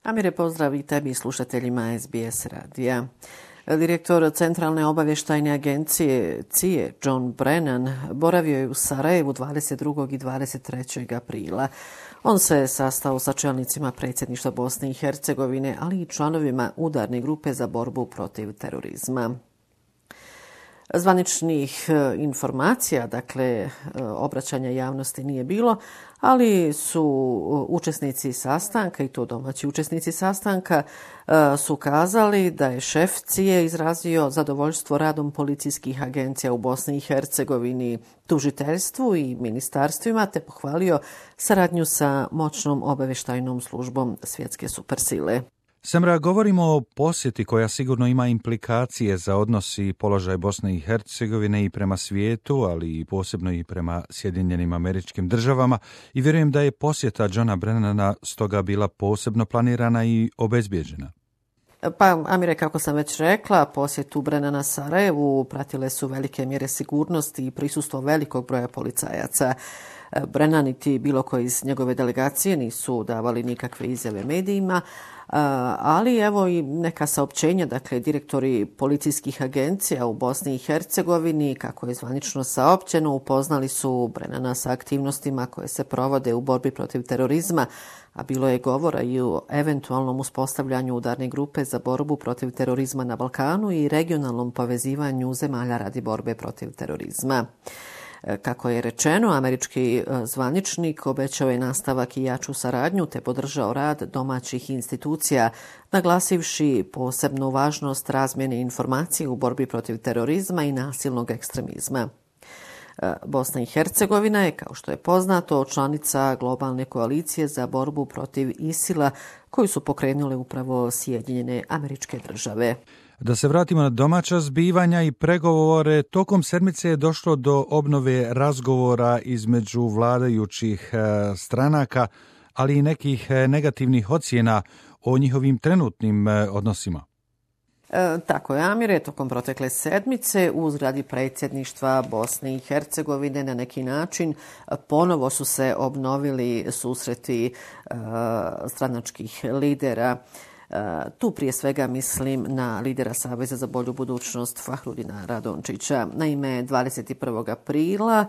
Amire, pozdrav i tebi slušateljima SBS radija. Direktor Centralne obavještajne agencije CIA John Brennan boravio je u Sarajevu 22. i 23. aprila. On se sastao sa čelnicima predsjedništva Bosne i Hercegovine, ali i članovima udarne grupe za borbu protiv terorizma. Zvaničnih informacija, dakle obraćanja javnosti nije bilo, ali su učesnici sastanka, i to domaći učesnici sastanka, su kazali da je šef CIA izrazio zadovoljstvo radom policijskih agencija u Bosni i Hercegovini, tužiteljstvu i ministarstvima, te pohvalio saradnju sa moćnom obavještajnom službom svjetske supersile. Semra, govorimo o posjeti koja sigurno ima implikacije za odnos i položaj Bosne i Hercegovine i prema svijetu, ali i posebno i prema Sjedinjenim Američkim Državama, i vjerujem da je posjeta Johna Brennana stoga bila posebno planirana i obezbijeđena. Pa, Amire, kako sam već rekla, posjetu Brennana Sarajevu pratile su velike mjere sigurnosti i prisustvo velikog broja policajaca. Brennan niti bilo koji iz njegove delegacije nisu davali nikakve izjave medijima, ali evo i neka saopćenja, dakle direktori policijskih agencija u Bosni i Hercegovini, kako je zvanično saopćeno, upoznali su Brennana sa aktivnostima koje se provode u borbi protiv terorizma, a bilo je govora i o eventualnom uspostavljanju udarne grupe za borbu protiv terorizma na Balkanu i regionalnom povezivanju zemalja radi borbe protiv terorizma. Kako je rečeno, američki zvaničnik obećao je nastavak i jaču saradnju te podržao rad domaćih institucija, naglasivši posebnu važnost razmjene informacija u borbi protiv terorizma i nasilnog ekstremizma. Bosna i Hercegovina je, kao što je poznato, članica globalne koalicije za borbu protiv ISIL-a koju su pokrenule upravo Sjedinjene Američke Države. Da se vratimo na domaća zbivanja i pregovore, tokom sedmice je došlo do obnove razgovora između vladajućih stranaka, ali i nekih negativnih ocjena o njihovim trenutnim odnosima. Tako je, Amire, tokom protekle sedmice u zgradi predsjedništva Bosne i Hercegovine na neki način ponovo su se obnovili susreti stranačkih lidera. Tu prije svega mislim na lidera Saveza za bolju budućnost Fahrudina Radončića. Naime, 21. aprila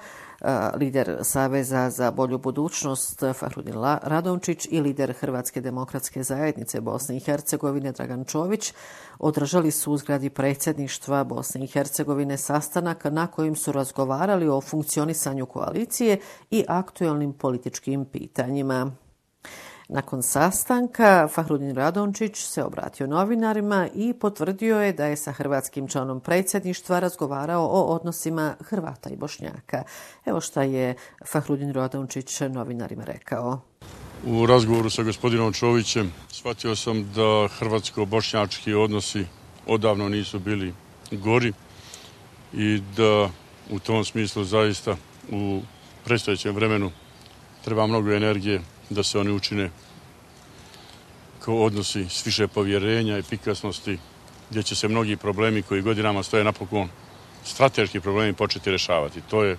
lider Saveza za bolju budućnost Fahrudin Radončić i lider Hrvatske demokratske zajednice Bosne i Hercegovine Dragan Čović održali su u zgradi predsjedništva Bosne i Hercegovine sastanak na kojem su razgovarali o funkcionisanju koalicije i aktualnim političkim pitanjima. Nakon sastanka Fahrudin Radončić se obratio novinarima i potvrdio je da je sa hrvatskim članom predsjedništva razgovarao o odnosima Hrvata i Bošnjaka. Evo šta je Fahrudin Radončić novinarima rekao. U razgovoru sa gospodinom Čovićem shvatio sam da hrvatsko-bošnjački odnosi odavno nisu bili gori i da u tom smislu zaista u predstojećem vremenu treba mnogo energije da se oni učine kao odnosi s više povjerenja, efikasnosti, gdje će se mnogi problemi koji godinama stoje napokon, strateški problemi, početi rješavati. To je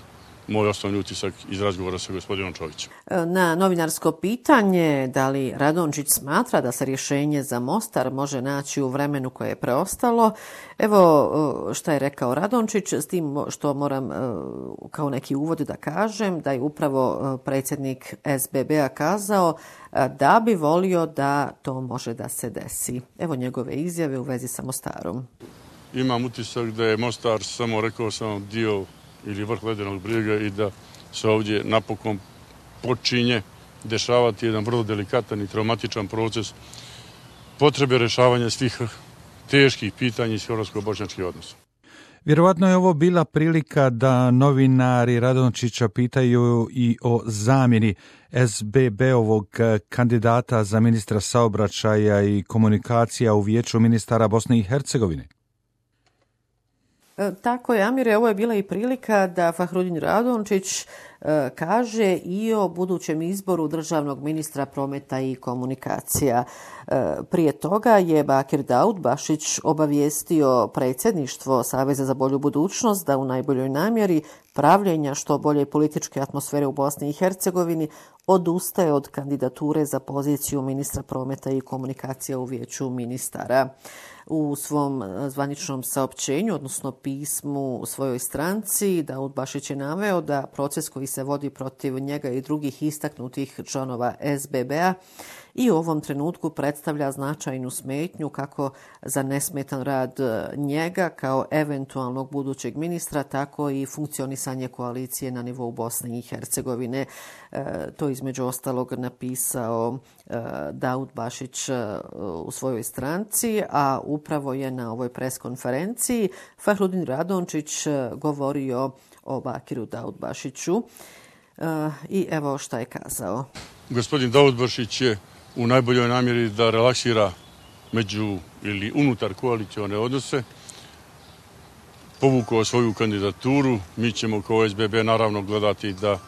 moj osnovni utisak iz razgovora sa gospodinom Čovićem. Na novinarsko pitanje da li Radončić smatra da se rješenje za Mostar može naći u vremenu koje je preostalo, evo šta je rekao Radončić, s tim što moram kao neki uvod da kažem da je upravo predsjednik SBB-a kazao da bi volio da to može da se desi. Evo njegove izjave u vezi sa Mostarom. Imam utisak da je Mostar samo, rekao sam, dio ili vrh ledenog brijega i da se ovdje napokon počinje dešavati jedan vrlo delikatan i traumatičan proces potrebe rješavanja svih teških pitanja iz hrvatsko-bošnjačkih odnosa. Vjerovatno je ovo bila prilika da novinari Radončića pitaju i o zamjeni SBB-ovog kandidata za ministra saobraćaja i komunikacija u Vijeću ministara Bosne i Hercegovine. Tako je, Amire, ovo je bila i prilika da Fahrudin Radončić kaže i o budućem izboru državnog ministra prometa i komunikacija. Prije toga je Bakir Daudbašić obavijestio predsjedništvo Saveza za bolju budućnost da u najboljoj namjeri pravljenja što bolje političke atmosfere u Bosni i Hercegovini odustaje od kandidature za poziciju ministra prometa i komunikacija u Vijeću ministara. U svom zvaničnom saopćenju, odnosno pismu u svojoj stranci, Daud Bašić je naveo da proces koji se vodi protiv njega i drugih istaknutih članova SBB-a i u ovom trenutku predstavlja značajnu smetnju kako za nesmetan rad njega kao eventualnog budućeg ministra, tako i funkcionisanje koalicije na nivou Bosne i Hercegovine. To između ostalog napisao Daud Bašić u svojoj stranci, a upravo je na ovoj preskonferenciji Fahrudin Radončić govorio o Bakiru Daud Bašiću i evo šta je kazao. Gospodin Daud Bašić je u najboljoj namjeri da relaksira među ili unutar koalicione odnose povukao svoju kandidaturu. Mi ćemo kao SBB naravno gledati da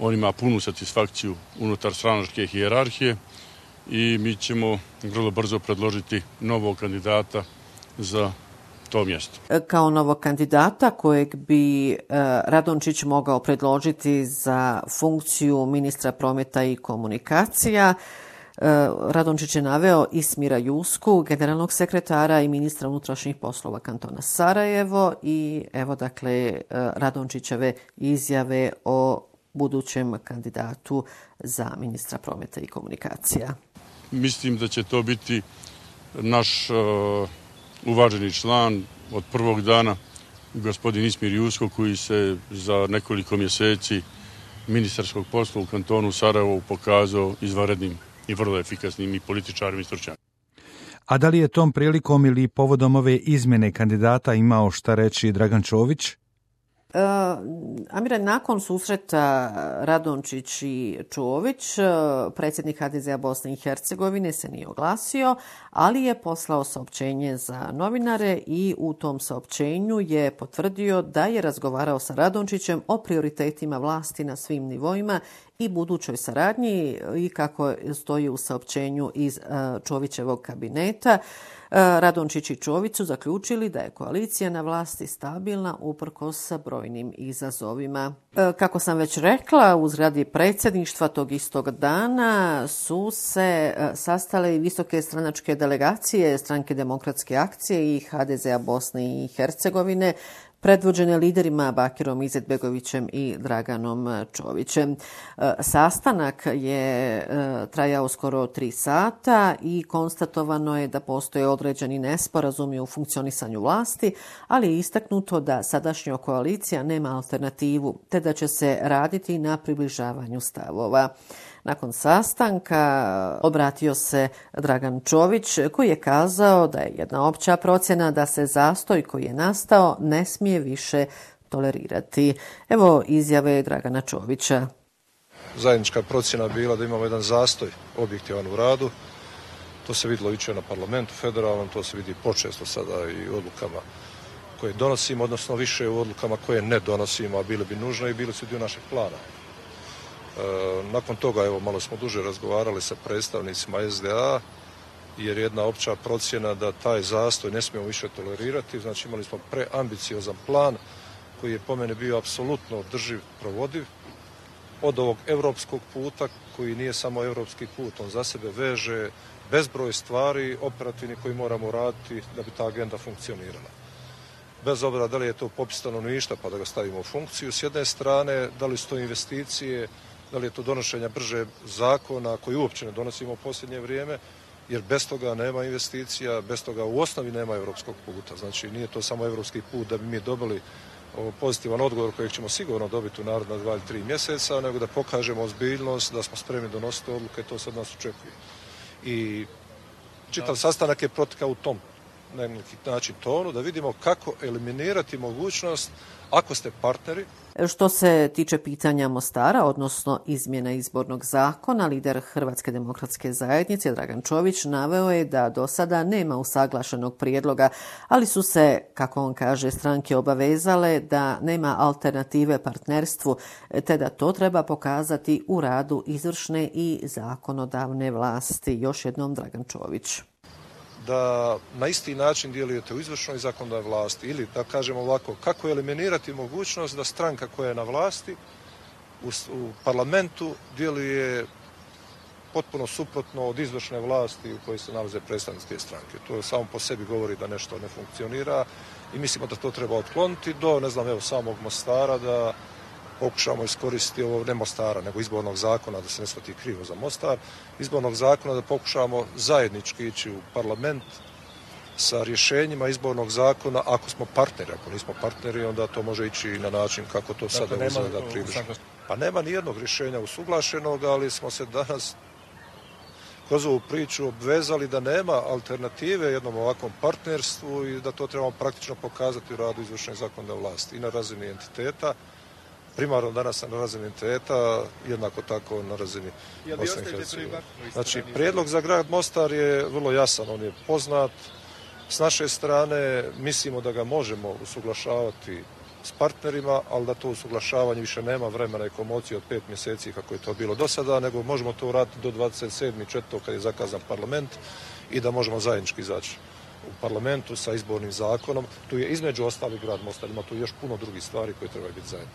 on ima punu satisfakciju unutar stranačke hijerarhije i mi ćemo vrlo brzo predložiti novog kandidata za to mjesto. Kao novog kandidata kojeg bi Radončić mogao predložiti za funkciju ministra prometa i komunikacija, Radončić je naveo Ismira Jusku, generalnog sekretara i ministra unutrašnjih poslova kantona Sarajevo i evo dakle Radončićeve izjave o budućem kandidatu za ministra prometa i komunikacija. Mislim da će to biti naš uvaženi član od prvog dana, gospodin Ismir Jusko, koji se za nekoliko mjeseci ministarskog posla u kantonu Sarajevo pokazao izvanrednim i vrlo efikasnim i političarima i stručnjakom. A da li je tom prilikom ili povodom ove izmjene kandidata imao šta reći Dragan Čović? Amire, nakon susreta Radončić i Čović, predsjednik HDZ-a Bosne i Hercegovine se nije oglasio, ali je poslao saopćenje za novinare i u tom saopćenju je potvrdio da je razgovarao sa Radončićem o prioritetima vlasti na svim nivoima i budućoj saradnji i kako stoji u saopćenju iz Čovićevog kabineta. Radončić i Čović su zaključili da je koalicija na vlasti stabilna uprkos brojnim izazovima. Kako sam već rekla, u zgradi predsjedništva tog istog dana su se sastale i visoke stranačke delegacije Stranke demokratske akcije i HDZ-a Bosne i Hercegovine, predvođene liderima Bakirom Izetbegovićem i Draganom Čovićem. Sastanak je trajao skoro 3 sata i konstatovano je da postoje određeni nesporazumi u funkcionisanju vlasti, ali je istaknuto da sadašnja koalicija nema alternativu, te da će se raditi na približavanju stavova. Nakon sastanka obratio se Dragan Čović koji je kazao da je jedna opća procjena da se zastoj koji je nastao ne smije više tolerirati. Evo izjave Dragana Čovića. Zajednička procjena bila da imamo jedan zastoj objektivan u radu. To se vidjelo jučer na parlamentu federalnom, to se vidi počesto sada i u odlukama koje donosimo, odnosno više u odlukama koje ne donosimo, a bile bi nužne i bili su dio našeg plana. Nakon toga, evo, malo smo duže razgovarali sa predstavnicima SDA, jer je jedna opća procjena da taj zastoj ne smijemo više tolerirati. Znači, imali smo preambiciozan plan koji je po mene bio apsolutno održiv, provodiv. Od ovog europskog puta, koji nije samo europski put, on za sebe veže bezbroj stvari operativnih koji moramo raditi da bi ta agenda funkcionirala. Bez obzira da li je to popis stanovništva pa da ga stavimo u funkciju s jedne strane, da li su to investicije, da li je to donošenje brže zakona koji uopće ne donosimo u posljednje vrijeme, jer bez toga nema investicija, bez toga u osnovi nema europskog puta. Znači nije to samo europski put da bi mi dobili pozitivan odgovor kojeg ćemo sigurno dobiti u naredna 2 ili 3 mjeseca, nego da pokažemo ozbiljnost, da smo spremni donositi odluke, to se od nas očekuje. I čitav sastanak je protekao u tom na neki način tonu, da vidimo kako eliminirati mogućnost ako ste partneri. Što se tiče pitanja Mostara, odnosno izmjena izbornog zakona, lider Hrvatske demokratske zajednice Dragan Čović naveo je da do sada nema usaglašenog prijedloga, ali su se, kako on kaže, stranke obavezale da nema alternative partnerstvu, te da to treba pokazati u radu izvršne i zakonodavne vlasti. Još jednom Dragan Čović. da na isti način djelujete u izvršnoj i zakonodavnoj vlasti. Ili, da kažemo ovako, kako eliminirati mogućnost da stranka koja je na vlasti u parlamentu djeluje potpuno suprotno od izvršne vlasti u kojoj se nalaze predstavničke stranke. To samo po sebi govori da nešto ne funkcionira i mislimo da to treba otkloniti do, ne znam, evo, samog Mostara, da pokušamo iskoristiti ovo, ne Mostara, nego izbornog zakona, da se ne shvati krivo za Mostar, izbornog zakona da pokušamo zajednički ići u parlament sa rješenjima izbornog zakona, ako smo partneri. Ako nismo partneri, onda to može ići na način kako to sada izgleda približno. Pa nema ni jednog rješenja usuglašenog, ali smo se danas kroz ovu priču obvezali da nema alternative jednom ovakvom partnerstvu i da to trebamo praktično pokazati u radu izvršne zakonodavne vlasti i na razini entiteta, primarno danas na razini entiteta, jednako tako na razini Bosne i Hercegovine. Znači, prijedlog za grad Mostar je vrlo jasan, on je poznat. S naše strane mislimo da ga možemo usuglašavati s partnerima, ali da to usuglašavanje više nema vremena i komocije od 5 mjeseci kako je to bilo do sada, nego možemo to uraditi do 27.4. kad je zakazan parlament i da možemo zajednički izaći u parlamentu sa izbornim zakonom. Tu je između ostalih grad Mostar, ima tu još puno drugih stvari koje trebaju biti zajedno.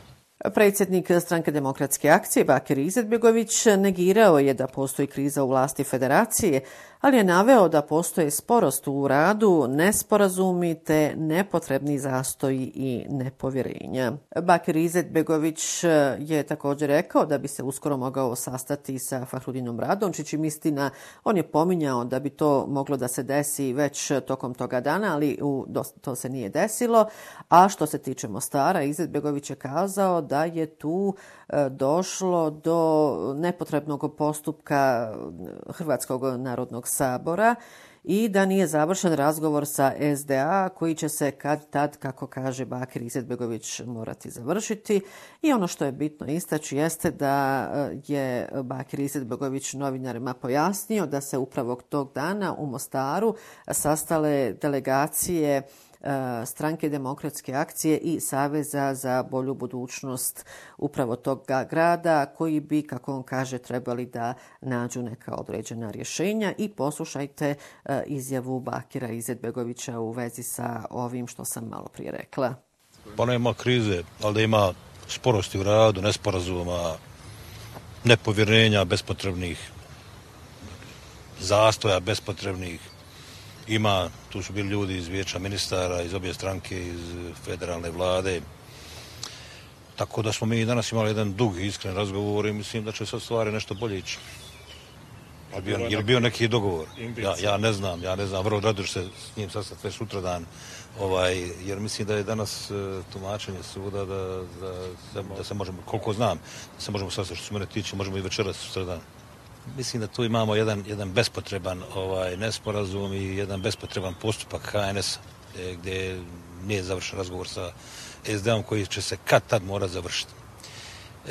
Predsjednik Stranke demokratske akcije Bakir Izetbegović negirao je da postoji kriza u vlasti federacije, ali je naveo da postoje sporost u radu, nesporazumi te nepotrebni zastoji i nepovjerenja. Bakir Izetbegović je također rekao da bi se uskoro mogao sastati sa Fahrudinom Radončićem. Istina, on je pominjao da bi to moglo da se desi već tokom toga dana, ali to se nije desilo. A što se tiče Mostara, Izetbegović je kazao da je tu došlo do nepotrebnog postupka Hrvatskog narodnog sabora i da nije završen razgovor sa SDA koji će se kad tad, kako kaže Bakir Izetbegović, morati završiti. I ono što je bitno istaći jeste da je Bakir Izetbegović novinarima pojasnio da se upravo tog dana u Mostaru sastale delegacije Stranke demokratske akcije i Saveza za bolju budućnost upravo tog grada koji bi, kako on kaže, trebali da nađu neka određena rješenja. I poslušajte izjavu Bakira Izetbegovića u vezi sa ovim što sam malo prije rekla. Pa nema krize, ali da ima sporosti u radu, nesporazuma, nepovjerenja bespotrebnih, zastoja bespotrebnih. Ima, tu su bili ljudi iz vijeća ministara, iz obje stranke, iz federalne vlade. Tako da smo mi danas imali jedan dug i iskren razgovor i mislim da će sad stvari nešto bolje ići. Je li bio neki dogovor? Ja ne znam, vrlo rado ću se s njim sastati već sutradan, jer mislim da je danas tumačenje suda da se možemo, koliko znam, da se možemo sastati, što se mene tiče, možemo i večeras sutradan. Mislim da tu imamo jedan bespotreban nesporazum i jedan bespotreban postupak HNS gdje nije završen razgovor sa SDA-om koji će se kad tad mora završiti.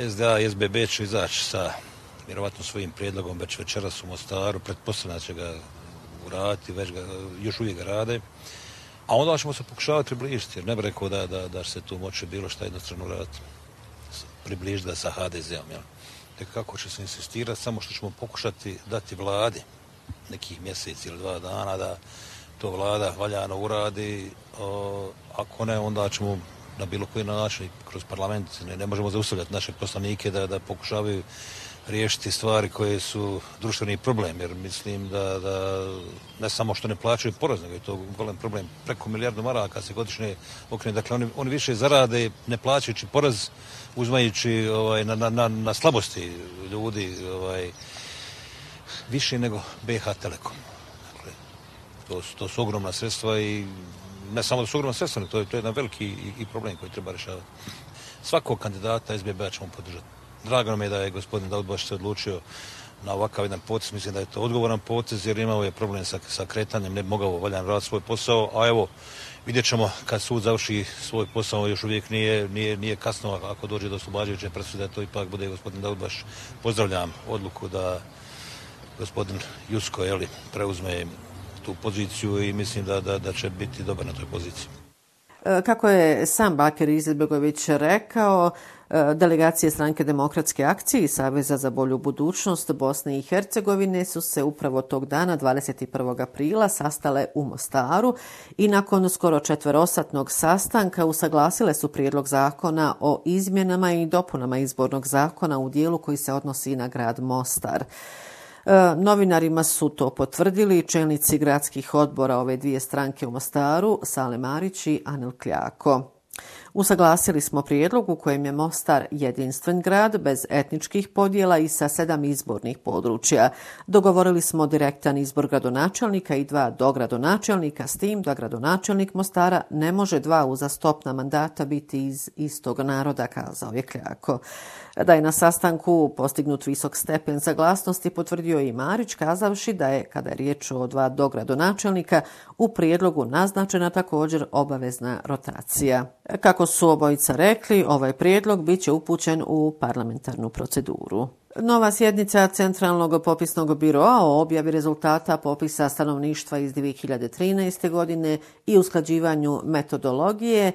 SDA i SBB će izaći sa vjerovatno svojim prijedlogom već večeras u Mostaru, pretpostavljam će ga uraditi, još uvijek ga rade, a onda ćemo se pokušavati približiti, jer ne bih rekao da se tu moće bilo šta jednostrano uraditi, približiti ga sa HDZ-om, jel? Tek kako će se insistirati, samo što ćemo pokušati dati vladi nekih mjeseci ili 2 dana da to vlada valjano uradi. Ako ne, onda ćemo na bilo koji način kroz parlament, ne možemo zaustavljati naše poslanike da pokušavaju riješiti stvari koje su društveni problem, jer mislim da ne samo što ne plaćaju porez, nego je to golem problem. Preko 1 milijardu maraka se godišnje okrene. Dakle, oni više zarade ne plaćajući porez, uzmajući na slabosti ljudi više nego BiH Telekom. Dakle, to su ogromna sredstva i ne samo da su ogromna sredstva, to je jedan veliki i problem koji treba rješavati. Svakog kandidata SBB-a ćemo podržati. Drago nam je da je gospodin Daudbaš se odlučio na ovakav jedan potez. Mislim da je to odgovoran potez jer imao je problem sa kretanjem, ne bi mogao valjano raditi svoj posao, a evo vidjet ćemo kad sud završi svoj posao, još uvijek nije kasno ako dođe do oslobađajuće presude, to ipak bude gospodin Daudbaš. Pozdravljam odluku da gospodin Jusko preuzme tu poziciju i mislim da će biti dobar na toj poziciji. Kako je sam Bakir Izetbegović rekao, delegacije Stranke demokratske akcije i Saveza za bolju budućnost Bosne i Hercegovine su se upravo tog dana, 21. aprila, sastale u Mostaru i nakon skoro četverosatnog sastanka usaglasile su prijedlog zakona o izmjenama i dopunama izbornog zakona u dijelu koji se odnosi na grad Mostar. Novinarima su to potvrdili čelnici gradskih odbora ove dvije stranke u Mostaru, Sale Marić i Anil Kljako. Usaglasili smo prijedlog u kojem je Mostar jedinstven grad bez etničkih podjela i sa 7 izbornih područja. Dogovorili smo direktan izbor gradonačelnika i 2 dogradonačelnika, s tim da gradonačelnik Mostara ne može 2 uzastopna mandata biti iz istog naroda, kazao je Kljako. Da je na sastanku postignut visok stepen saglasnosti potvrdio i Marić, kazavši da je, kada je riječ o 2 dogradonačelnika, u prijedlogu naznačena također obavezna rotacija. Kako su obojica rekli, ovaj prijedlog bit će upućen u parlamentarnu proceduru. Nova sjednica Centralnog popisnog biroa o objavi rezultata popisa stanovništva iz 2013. godine i usklađivanju metodologije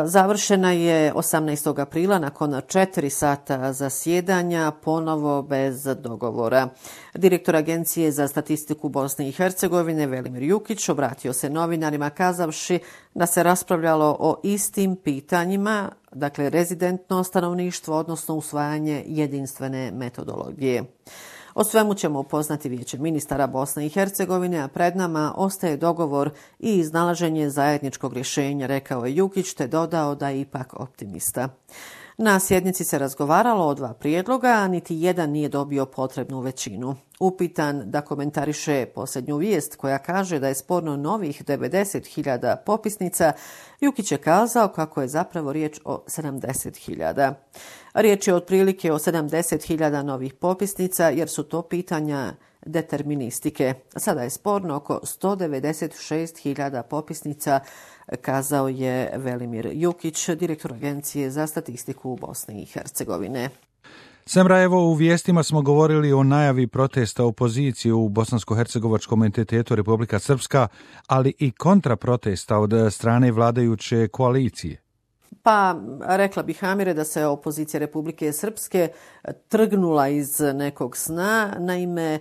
završena je 18. aprila nakon 4 sata zasjedanja, ponovo bez dogovora. Direktor Agencije za statistiku Bosne i Hercegovine Velimir Jukić obratio se novinarima kazavši da se raspravljalo o istim pitanjima, dakle rezidentno stanovništvo, odnosno usvajanje jedinstvene metodologije. O svemu ćemo upoznati Vijeće ministara Bosne i Hercegovine, a pred nama ostaje dogovor i iznalaženje zajedničkog rješenja, rekao je Jukić, te dodao da je ipak optimista. Na sjednici se razgovaralo o 2 prijedloga, a niti jedan nije dobio potrebnu većinu. Upitan da komentariše posljednju vijest koja kaže da je sporno novih 90.000 popisnica, Jukić je kazao kako je zapravo riječ o 70.000. Riječ je otprilike o 70.000 novih popisnica jer su to pitanja deterministike. Sada je sporno oko 196.000 popisnica, kazao je Velimir Jukić, direktor Agencije za statistiku u Bosni i Hercegovine. Semra, evo u vijestima smo govorili o najavi protesta opozicije u bosansko-hercegovačkom entitetu Republika Srpska, ali i kontraprotesta od strane vladajuće koalicije. Pa, rekla bih, Amire, da se opozicija Republike Srpske trgnula iz nekog sna. Naime,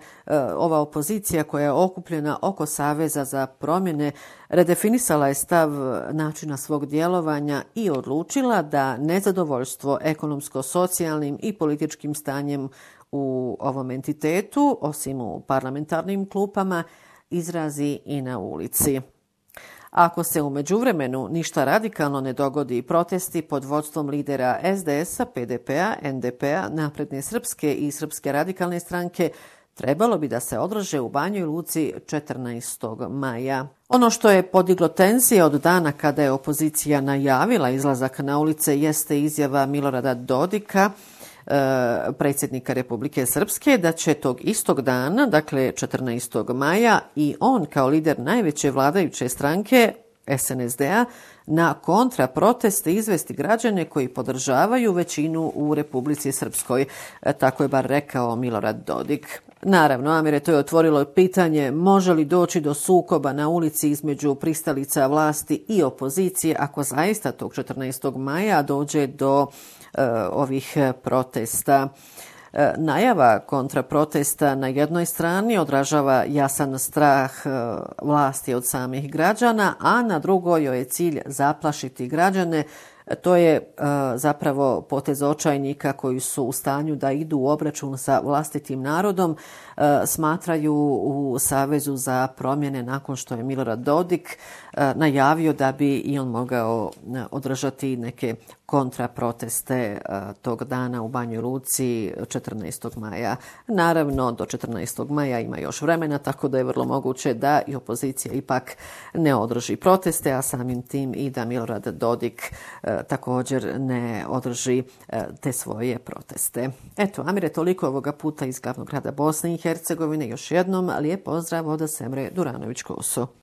ova opozicija koja je okupljena oko Saveza za promjene redefinisala je stav načina svog djelovanja i odlučila da nezadovoljstvo ekonomsko-socijalnim i političkim stanjem u ovom entitetu, osim u parlamentarnim klupama, izrazi i na ulici. Ako se u međuvremenu ništa radikalno ne dogodi, protesti pod vodstvom lidera SDS-a, PDP-a, NDP-a, Napredne Srpske i Srpske radikalne stranke trebalo bi da se održe u Banjoj Luci 14. maja. Ono što je podiglo tenzije od dana kada je opozicija najavila izlazak na ulice jeste izjava Milorada Dodika, predsjednika Republike Srpske, da će tog istog dana, dakle 14. maja, i on kao lider najveće vladajuće stranke SNSD-a na kontraproteste izvesti građane koji podržavaju većinu u Republici Srpskoj. Tako je bar rekao Milorad Dodik. Naravno, Amire, to je otvorilo pitanje može li doći do sukoba na ulici između pristalica vlasti i opozicije ako zaista tog 14. maja dođe do ovih protesta. Najava kontraprotesta na jednoj strani odražava jasan strah vlasti od samih građana, a na drugoj joj je cilj zaplašiti građane. To je zapravo potez očajnika koji su u stanju da idu u obračun sa vlastitim narodom, smatraju u Savezu za promjene nakon što je Milorad Dodik najavio da bi i on mogao održati neke kontraproteste tog dana u Banjoj Luci 14. maja. Naravno, do 14. maja ima još vremena, tako da je vrlo moguće da i opozicija ipak ne održi proteste, a samim tim i da Milorad Dodik također ne održi te svoje proteste. Eto, Amire, toliko ovoga puta iz glavnog grada Bosne i Hercegovine. Još jednom lijep pozdrav od Semre Duranović-Koso.